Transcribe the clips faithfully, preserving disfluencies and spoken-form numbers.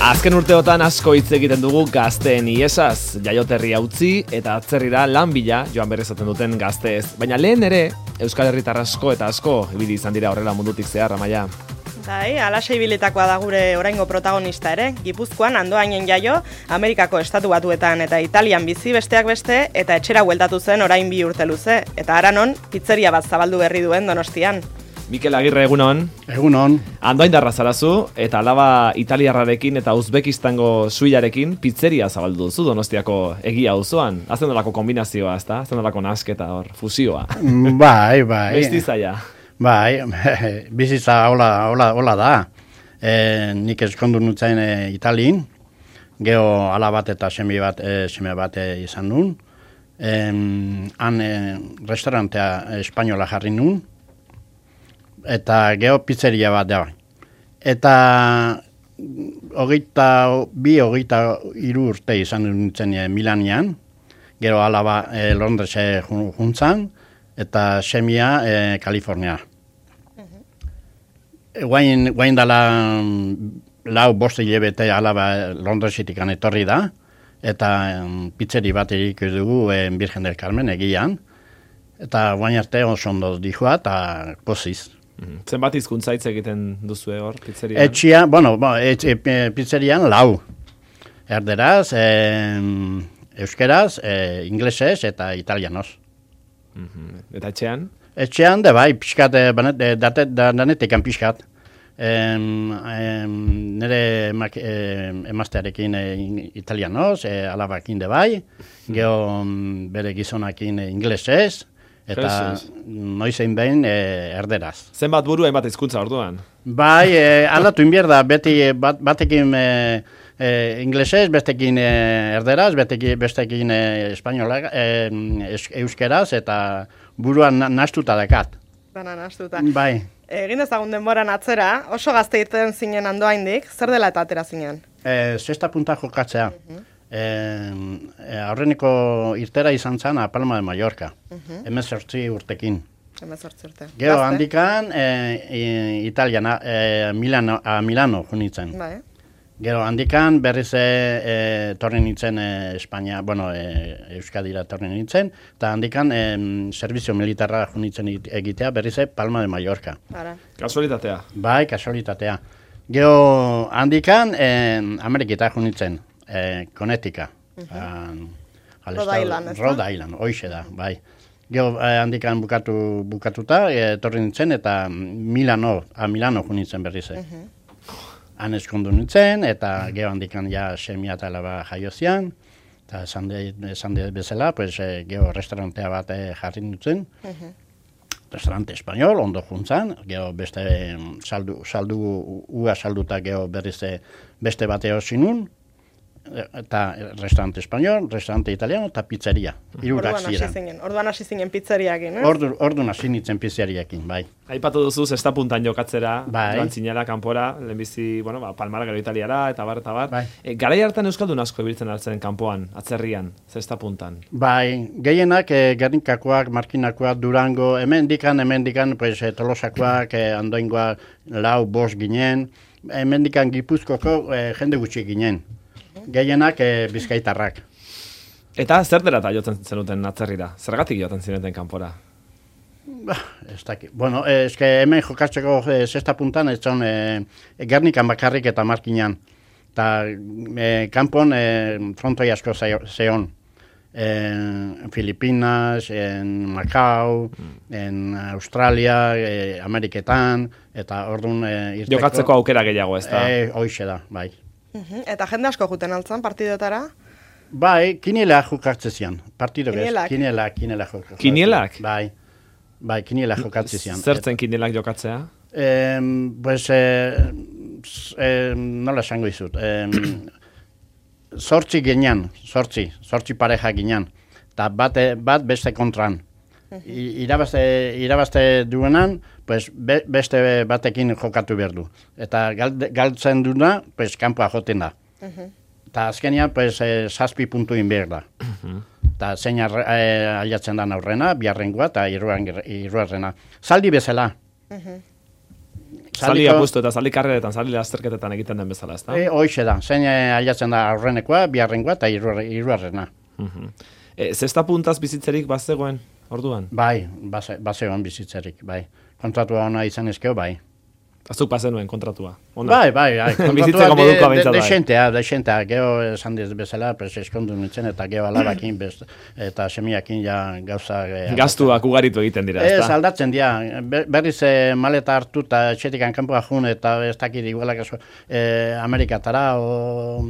Azken urteotan asko hitz egiten dugu gazteen iesaz, jaioterria utzi eta atzerrira lan bila joan berrezaten duten gazteez. Baina lehen ere, Euskal Herritar asko eta asko ibili izan dira horrela mundutik zehar, Amaia. Bai, alaxe ibilitakoa da gure oraingo protagonista ere. Gipuzkoan Andoainen jaio, Amerikako Estatu Batuetan eta Italian bizi besteak beste, eta etxera bueltatu zen orain bi urte luze. Eta haranon, pizzeria bat zabaldu berri duen Donostian. Mikel Agirre, egunon. Egunon. Andoaindarra zarazu, eta alaba italiarrarekin eta Uzbekistango suilarekin pizzeria zabaldu duzu Donostiako egia auzoan. Hazen dolako kombinazioa, ezta? Hazen dolako nasketa hor, fusioa. Bai, bai. Bestizaia. Bai, bizitza hola, hola, hola da. E, nik eskondu nutzen e, Italin, geho ala bat eta seme bat, e, seme bat e, izan nun. E, han e, restaurantea espainola jarri nun, eta geho pizzeria bat da. Eta hogeita bi, hogeita hiru urte izan nintzen e, Milanian, gero alaba e, Londrese juntzan, eta semia e, Kalifornia. Uh-huh. Guain, guain dala lau boste hilabete alaba Londresitik etorri da, eta um, pizzeri bat erik dugu e, Virgen del Carmen egian, eta guain arte oso ondo dihua eta poziz. Uh-huh. Zenbat hizkuntza hitz egiten duzu hor pizzerian? Etxia, bueno, bo, et, et, pizzerian lau. Erderaz, e, euskeraz, e, inglesez eta italianos. Mm-hmm. Eta etxean? Etxean, de bai, pixkat, e, datet, danetekan pixkat. Em, em, nire emak, e, emaztearekin e, italianoz, e, alabakin de bai, geho bere gizonakin e, inglesez, eta Jesus. Noizein behin e, erderaz. Zenbat buru hainbat hizkuntza orduan? Bai, e, aldatu inbierda, beti bat, batekin e, e, inglesez, bestekin e, erderaz, betekin, bestekin e, espainola, e, euskeraz, eta buruan na, nastuta dakat. Dana nastuta. Bai. Egin ezagun denboran atzera, oso gazte irten zinen Andoaindik, zer dela eta atera zinen? E, Zesta punta jokatzea. Uh-huh. E, e, aurreneko irtera izan zen a Palma de Mallorca, uh-huh. Hemezortzi urtekin. Hemezortzi urte. Gero handikan e, e, Italiana, e, Milano, a Milano junitzen. Bai. Gero handikan berriz e, e, torri nintzen e, Espainia, bueno, e, Euskadira torri nintzen, eta handikan e, servizio militarra junitzen egitea berriz e, Palma de Mallorca. Ara. Kasualitatea. Bai, kasualitatea. Gero handikan e, Ameriketa junitzen. Eh, Connecticut, uh-huh. al Rhode Island, ez da? Rhode Island, hoixe da, bai. Gero eh, handikan bukatu, bukatuta, eh, torri nintzen, eta Milano, a Milano junitzen berriz. Uh-huh. Han eskondu nintzen, eta gero handikan ja semia eta alaba jaiozian, eta esan de bezala, pues, eh, gero restaurantea bat eh, jarri nintzen, uh-huh. Restaurante espainol, ondo juntzan, gero beste saldu, saldu, ua salduta gero berriz beste bateo zinun, eta restaurante espainol, restaurante italiano eta pizzeria. Irurak ziren. Orduan hasi zinen pizzeriakin, eh? Ordu, orduan hasi nintzen pizzeriakin, bai. Aipatu duzu zesta puntan jokatzera, bai. Joan zinela kanpora, lehenbizi, bueno, ba, Palmara gero Italiara, eta bar, eta bar. Bai. E, garai hartan euskaldun asko ibiltzen hartzen kanpoan, atzerrian, zesta puntan. Bai, gehienak e, Gernikakoak, Markinakoak, Durango, hemen dikan, hemen dikan, pues, e, Tolosakoak, e, Andoingoak, lau, bost ginen, hemen dikan Gipuzkoko e, jende gutxi ginen. Gehienak e, bizkaitarrak. Eta zer dela eta jotzen zenuten atzerrira? Zergatik joten zineten kanpora? Bah, ez dakit. Bueno, eh, eske hemen jokatzeko e, zesta puntan ez zon e, Gernikan bakarrik eta Markinan. Eta e, kanpon e, frontoi asko zeon. En Filipinas, en Macau, mm. en Australia, e, Ameriketan, eta orduan e, irteko... Jokatzeko aukera gehiago, ez da? E, hoixe da, bai. Uh-huh. Eta jende asko juten altzan partidotara? Bai, kiniela jokatzen zian. Partido Kinielak? Kiniela, kiniela jokatzen. Kinielak? Bai, bai, kiniela jokatzen zian. Zertzen kinielak jokatzea? Eh, pues, eh, eh, nola esango izut. Eh, sortzi ginean, sortzi, sortzi pareja ginean. Eta bat, bat beste kontran. I, irabazte, irabazte duenan, pues, be, beste batekin jokatu behar du. Eta galtzen duna, pues, kanpoa joten da. Eta uh-huh. azkenia, pues, eh, zazpi puntu inbehar da. Eta uh-huh. zein eh, aliatzen da aurrena, biharrengoa eta iruarrena. Zaldi bezala. Uh-huh. Zaldi apustu eta zaldi karreretan, zaldi lasterketetan egiten den bezala, ezta? E, Hoixe da, zein ailatzen da aurrenekoa, biharrenkoa eta hirugarrena. Uh-huh. E, zesta puntaz bizitzerik bazegoen, orduan? Bai, base, bazegoen bizitzerik, bai. Kontratua ona izan ezkeo, bai. Azuk pasenuen kontratua. Ona. Bai, bai, bai. Bizitzeko modukoa behintzat bai. Desentea, desentea. Geho esan diz bezala, pues eskondu nintzen, eta geho alabakin, best, eta semiakin ja gauza... Eh, Gaztuak ugaritu egiten dira, ez ezta? Ez, aldatzen dira. Berriz eh, maleta hartu eta etxetikan kanpoa jun, eta ez dakit igualak eso, eh, Amerikatara, o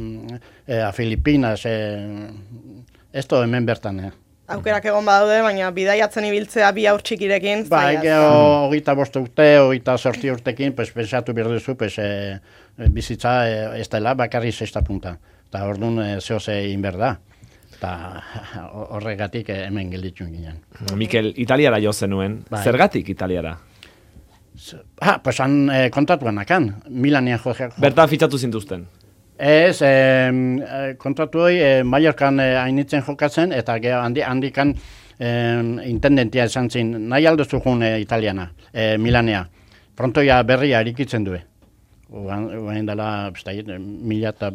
eh, a Filipinas, eh, ez to hemen bertan, eh. Aukerak egon badaude, baina bidaiatzen ibiltzea bi haur txikirekin. Bai, geho, hogeita bost urte, hogeita sortzi urtekin, pues, pensatu behar duzu, pues, eh, bizitza eh, ez dela, bakarri sexta punta. Eta orduan eh, zehoz egin behar da. Eta horregatik eh, hemen gelditu ginen. Mikel, Italiara jo zenuen. Bai. Zergatik Italiara? Ah, pues han eh, kontratuan akan, Milanean jo. Bertan fitxatu zintuzten. Ez, eh, kontratu hori eh, Mallorcan eh, hainitzen jokatzen, eta gero handi, handikan eh, intendentia esan zin, nahi aldozu jun eh, italiana, eh, Milanea. Prontoia berria erikitzen du. Oain dela, mila eta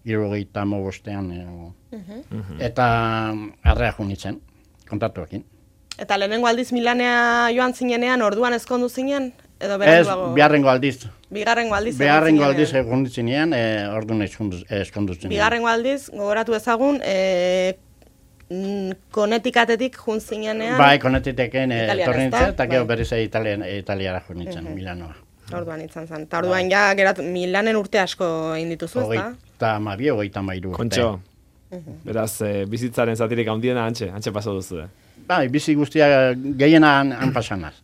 irurogeita mogostean. Eh, uh-huh. Eta arrea junitzen, kontratuakin. Eta lehenengo aldiz Milanea joan zinenean, orduan ezkondu zinen? Edo ez, biharrengo aldiz. Bigarrengo aldiz. Biharrengo aldiz egon ditzinean, e, orduan eskondutzen. Bigarrengo aldiz, gogoratu ezagun, e, Konetikatetik jun zinenean. Bai, Konetiteken e, torri nintzen, eta gero bai. berriz Italiara jun nintzen, uh-huh. Milanoa. Orduan izan zen. Eta orduan ja, gerat, Milanen urte asko egin dituzu, ezta? Eta mabi, hogeita mairu urte. Kontxo, uh-huh. Beraz, e, bizitzaren zatirik handiena antxe, antxe paso duzu. Eh? Bai, bizi guztia gehiena han pasanaz.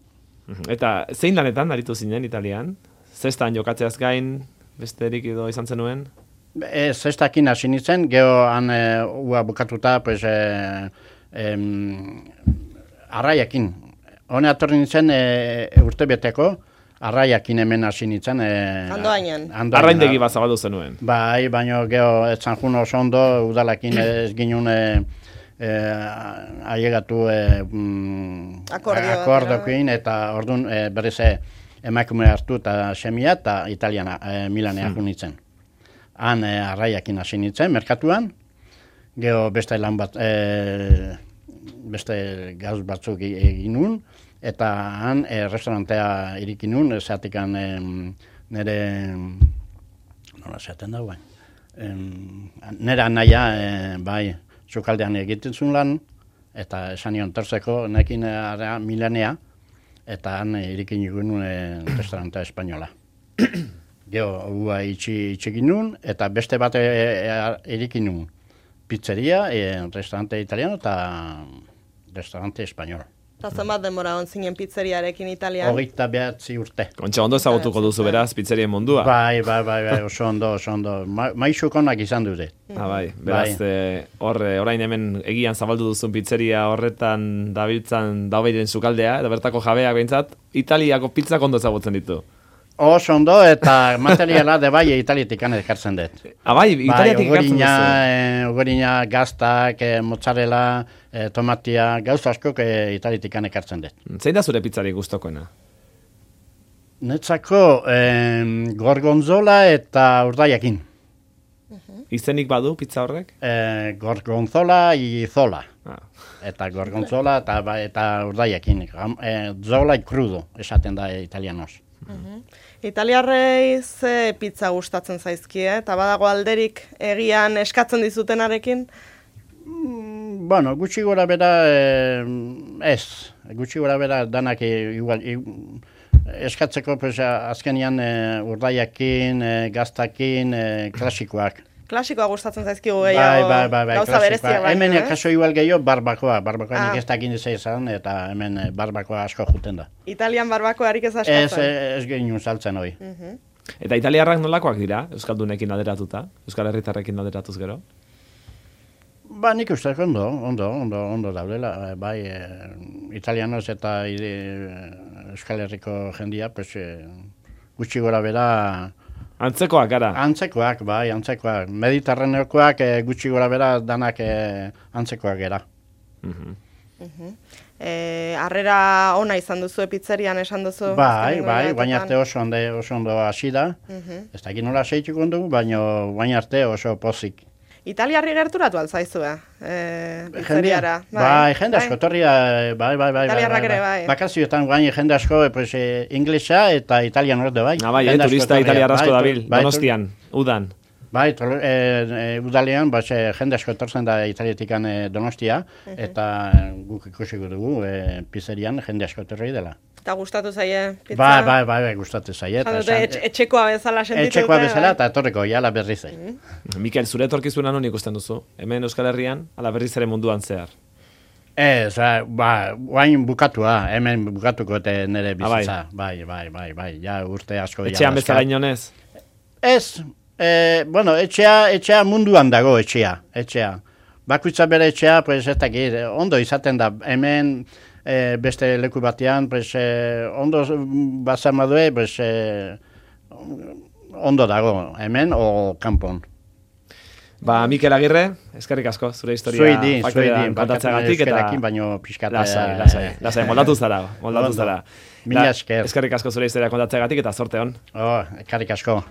Eta zein lanetan aritu zinen Italian? Zestan jokatzeaz gain, besterik edo izan zenuen? E, zestakin hasi nintzen, geho han e, ua bukatuta, pues, e, em, arraiakin. Hone atorri nintzen e, urte beteko, arraiakin hemen hasi nintzen. E, Andoainan. Arraindegi bat zabaldu zenuen. Bai, baina geho etzan jun oso ondo, udalakin ez ginen e, Eh, ailegatu eh, mm, akordokin, eta orduan eh, berriz eh, emakume hartu eta semia eta italiana eh, Milanea hmm. junitzen. Han eh, arraiakin hasi nintzen, merkatuan, geho beste lan bat, eh, beste gauz batzuk egin nun, eta han eh, restaurantea irikin nun, zatikan eh, nire, nola zaten da, bain, eh, nire anaia, eh, bai, Zukaldean egiten zuen lan, eta esan nion terzeko, nekin ara Milanea, eta han irikin egun restauranta espainola. Geo, hua itxi itxekin nun, eta beste bat irikin nun. Pizzeria, e, restaurante italiano, eta restaurante espainol. Eta zenbat denbora hon zinen pizzeriarekin Italian? Hogeita behatzi urte. Kontxa, ondo ezagutuko duzu beraz, pizzerien mundua? Bai, bai, bai, bai, oso ondo, oso ondo. Ma, maixukonak izan dute. Ah, bai, beraz, bai. E, hor, orain hemen egian zabaldu duzun pizzeria horretan dabiltzan daubeiren sukaldea, eta bertako jabeak behintzat, Italiako pizzak ondo ezagutzen ditu. Oso ondo, eta materiala de bai Italiatik ekartzen dut. Ah, bai, Italiatik ekartzen duzu? Bai, ogorina, gaztak, eh, mozzarella, eh, tomatia, gauza askok eh, Italiatik ekartzen dut. Zein da zure pizzari gustokoena? Netzako eh, gorgonzola eta urdaiakin. Uh-huh. Izenik badu pizza horrek? Eh, gorgonzola izola. Ah. Eta gorgonzola eta, eta urdaiakin. Eh, zola crudo, esaten da italianos. Uh-huh. Italiarrei ze pizza gustatzen zaizkie, eta badago alderik egian eskatzen dizutenarekin? Mm, bueno, gutxi gora bera eh, ez. Gutxi gora bera danak eh, igual, eh, eskatzeko pues, azkenian eh, urdaiakin, eh, gaztakin, eh, klasikoak. Klasikoa gustatzen zaizkigu gehiago, bai, bai, bai, gauza bereziak baina. Hemen eh? kaso igual gehiago barbakoa, barbakoa ah. nik ez dakin izan, eta hemen barbakoa asko juten da. Italian barbakoarik ez askatzen? Ez, ez gehien saltzen hori. Uh-huh. Eta italiarrak nolakoak dira, Euskaldunekin alderatuta, Euskal Herritarrekin alderatuz gero? Ba, nik uste ondo, ondo, ondo, ondo daudela, bai, e, italianos eta ide, Euskal Herriko jendia, pues, e, gutxi gora bera... Antzekoak, gara? Antzekoak, bai, antzekoak. Mediterraneokoak e, gutxi gora bera danak e, antzekoak gara. Uh-huh. E, harrera ona izan duzu pizzerian esan duzu? Bai, bai, baina arte oso ondo, oso ondo hasi da. Ez dakit nola seituko dugu, baina baina arte oso pozik. Italiarri gerturatu altzaizue, e, pizzeriara. Bai, jende asko, torria, bai, bai, bai. Italiarrak ere, bai. Bakazioetan guain jende asko, pues, eh, inglesa eta italian orde, bai. Ah, bai, eh, turista italiar asko dabil, Donostian, udan. Bai, tol, e, e, udalean, bas, e, jende asko etortzen da Italiatikan e, Donostia, uh-huh. eta guk ikusiko dugu e, pizzerian jende asko etorri dela. Eta gustatu zaie pizza? Bai, bai, bai, bai gustatu zaie. Etxe, etxekoa bezala sentitu. Etxekoa bezala eta etorriko, jala berriz. Mm-hmm. Mikel, zure etorkizuna non ikusten duzu? Hemen Euskal Herrian, ala berriz ere munduan zehar? Ez, ba, guain bukatua, hemen bukatuko eta nire bizitza. Ah, bai, bai, bai, bai, ja urte asko. Etxean bezala inonez? Ez, e, bueno, etxea, etxea munduan dago etxea, etxea. Bakuitza bere etxea, pues, ez dakit, ondo izaten da, hemen e, beste leku batean, pues, e, ondo bazamadue, pues, e, ondo dago, hemen o kanpon. Ba, Mikel Agirre, eskerrik asko, zure historia faktorean kontatzeagatik eta baino pixkat lasai, lasai, lasai, moldatu zara, moldatu zara. Mila esker. Eskerrik asko zure historia kontatzeagatik eta zorte hon. Oh, eskerrik asko.